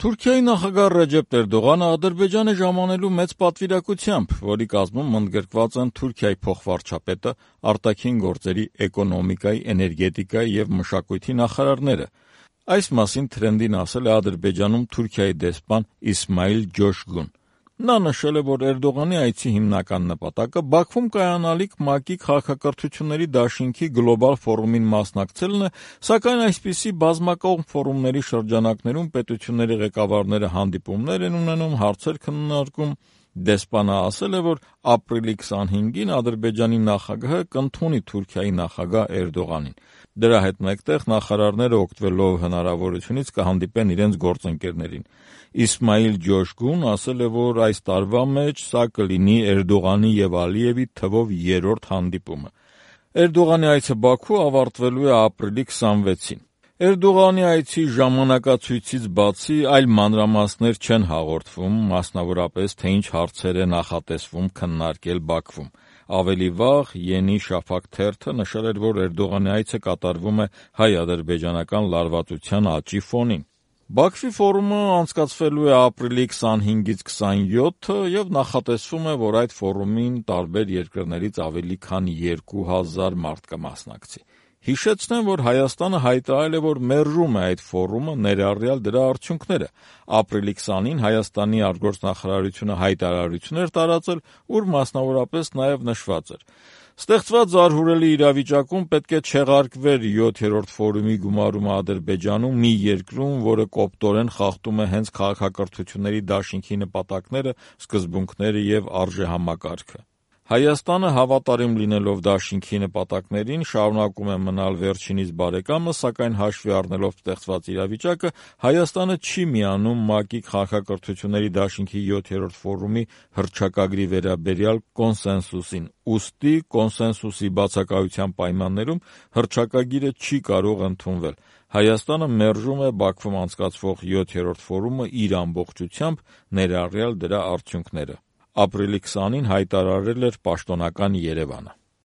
Թուրքիայի նախագահ Ռեջեփ Էրդողանը Ադրբեջանը ժամանելու մեծ պատվիրակությամբ, որի կազմում ընդգրկված են Թուրքիայի փոխվարչապետը, արտաքին գործերի, էկոնոմիկայի, էներգետիկայի և մշակույթի նախարարները։ Այս մասին թրենդին ասել է Ադրբեջանում Թուրքիայի դեսպան Իսմայիլ Ջոշգուն։ Նա նշել է, որ Էրդողանի այցի հիմնական նպատակը Բաքվում կայանալիք ՄԱԿ-ի քաղաքակրթությունների դաշինքի գլոբալ ֆորումին մասնակցելն է, սակայն այսպիսի բազմակողմ ֆորումների շրջանակներում պետությունների ղեկավարները հանդիպումներ են ունենում, հարցեր քննարկում։ Դեսպանը ասել է, որ ապրիլի 25-ին Ադրբեջանի նախագահը կընդունի Թուրքիայի նախագահ Էրդողանին։ Դրա հետ մեկտեղ նախարարները օգտվելով հնարավորությունից կհանդիպեն իրենց գործընկերներին։ Իսմայիլ Ջոշգուն ասել է, որ այս տարվա մեջ սա կլինի Էրդողանի և Ալիևի թվով 3-րդ հանդիպումը։ Էրդողանի այցը Բաքու ավարտվելու է ապրիլի 26-ին։ Էրդողանի այցի ժամանակացույցից բացի այլ մանրամասներ չեն հաղորդվում, մասնավորապես թե ինչ հարցեր է նախատեսվում քննարկել Բաքվում։ Ավելի վաղ Yeni Shafak թերթը նշել էր, որ Էրդողանի այցը կատարվում է հայ-ադրբեջանական լարվածության աճի ֆոնին։ Բաքվի ֆորումը անցկացվելու է ապրիլի 25-ից 27-ը և նախատեսվում է, որ այդ ֆորումին տարբեր երկրներից ավելի քան 2000 մարդ կմասնակցի։ Հիշեցնեմ, որ Հայաստանը հայտարարել է, որ մերժում է այդ ֆորումը, ներառյալ դրա արդյունքները։ Ապրիլի 20-ին Հայաստանի արտգործնախարարությունը հայտարարություն էր տարածել, ուր մասնավորապես նաև նշված էր. «Ստեղծված զարհուրելի իրավիճակում պետք է չեղարկվեր 7-րդ ֆորումի գումարումը Ադրբեջանում, մի երկրում, որը կոպտորեն խախտում է հենց քաղաքակրթությունների դաշինքի նպատակները, սկզբունքները և արժեհամակարգը»։ Հայաստանը հավատարիմ լինելով դաշինքի նպատակներին շարունակում է մնալ վերջինիս բարեկամը, սակայն հաշվի առնելով ստեղծված իրավիճակը, Հայաստանը չի միանում ՄԱԿ-ի քաղաքակրթությունների դաշինքի 7-րդ ֆորումի հռչակագրի վերաբերյալ կոնսենսուսին, ուստի կոնսենսուսի բացակայության պայմաններում հռչակագիրը չի կարող ընդունվել։ Հայաստանը մերժում է Բաքվում անցկացվող 7-րդ ֆորումը իր ամբողջությամբ, ներառյալ դրա արդյունքները։ Ապրիլի 20-ին հայտարարել էր պաշտոնական Երևանը։